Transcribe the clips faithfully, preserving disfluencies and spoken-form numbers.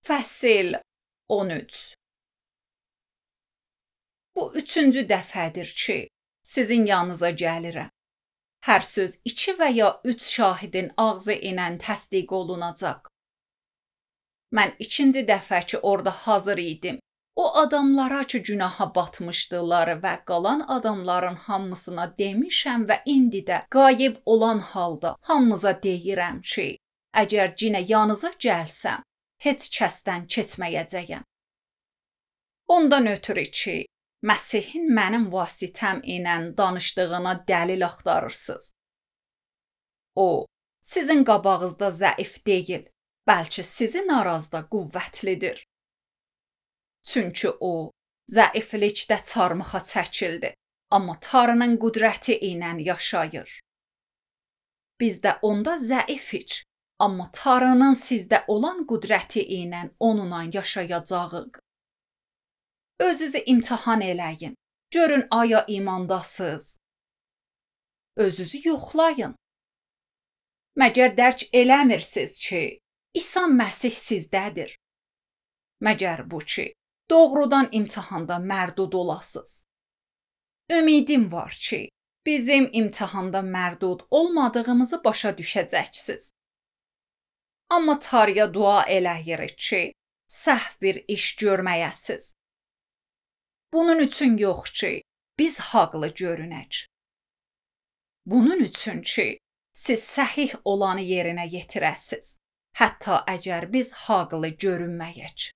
Fəsil on üç. Bu üçüncü dəfədir ki, sizin yanınıza gəlirəm. Hər söz iki və ya üç şahidin ağzı ilə təsdiq olunacaq. Mən ikinci dəfə ki orada hazır idim, o adamlara ki günaha batmışdılar və qalan adamların hamısına demişəm və indi də qayıb olan halda hamımıza deyirəm ki, əgər cinə yanınıza gəlsəm, heç kəsdən keçməyəcəyəm. Ondan ötürü ki, Məsihin mənim vasitəm ilə danışdığına dəlil axtarırsınız. O, sizin qabağınızda zəif deyil, bəlkə sizin aranızda qüvvətlidir. Çünki o, zəiflikdə çarmıxa çəkildi, amma Tanrının qüdrəti ilə yaşayır. Biz də onda zəifik, amma Tanrının sizdə olan qüdrəti ilə onunla yaşayacağıq. Özünüzü imtahan eləyin. Görün aya imandasınız. Özünüzü yoxlayın. Məgər dərk eləmirsiniz ki, İsa Məsih sizdədir. Məgər bu ki, doğrudan imtahanda mərdud olasınız. Ümidim var ki, bizim imtahanda mərdud olmadığımızı başa düşəcəksiniz. Amma Tanrıya dua eləyirik ki, səhv bir iş görməyəsiz. Bunun üçün yox ki, biz haqlı görünək. Bunun üçün ki, siz səhih olanı yerinə yetirəsiz, hətta əgər biz haqlı görünməyək.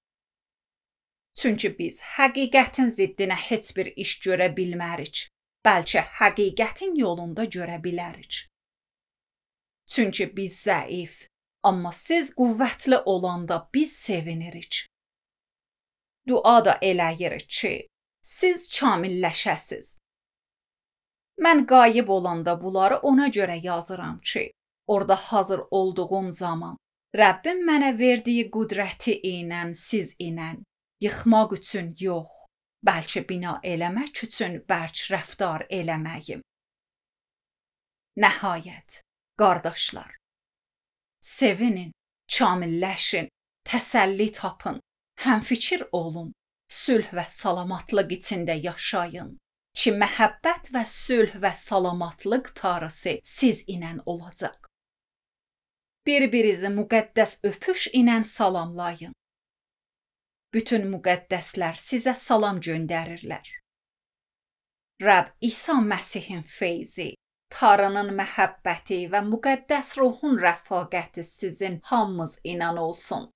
Çünki biz həqiqətin ziddinə heç bir iş görə bilmərik, bəlkə həqiqətin yolunda görə bilərik. Çünki biz zəif, amma siz qüvvətli olanda biz sevinirik. Dua da eləyirik ki, siz kamilləşəsiz. Mən qayıb olanda bunları ona görə yazıram ki, orada hazır olduğum zaman Rəbbim mənə verdiyi qüdrəti ilə siz ilə yıxmaq üçün yox, bəlkə bina eləmək üçün bərk rəftar eləməyim. Nəhayət, qardaşlar, sevinin, kamilləşin, təsəlli tapın, həmfikir olun. Sülh və salamatlıq içində yaşayın ki, məhəbbət və sülh və salamatlıq Tanrısı siz ilə olacaq. Bir-birinizi müqəddəs öpüş ilə salamlayın. Bütün müqəddəslər sizə salam göndərirlər. Rəbb İsa Məsihin feyzi, Tanrının məhəbbəti və müqəddəs ruhun rəfaqəti sizin hamınız ilə olsun.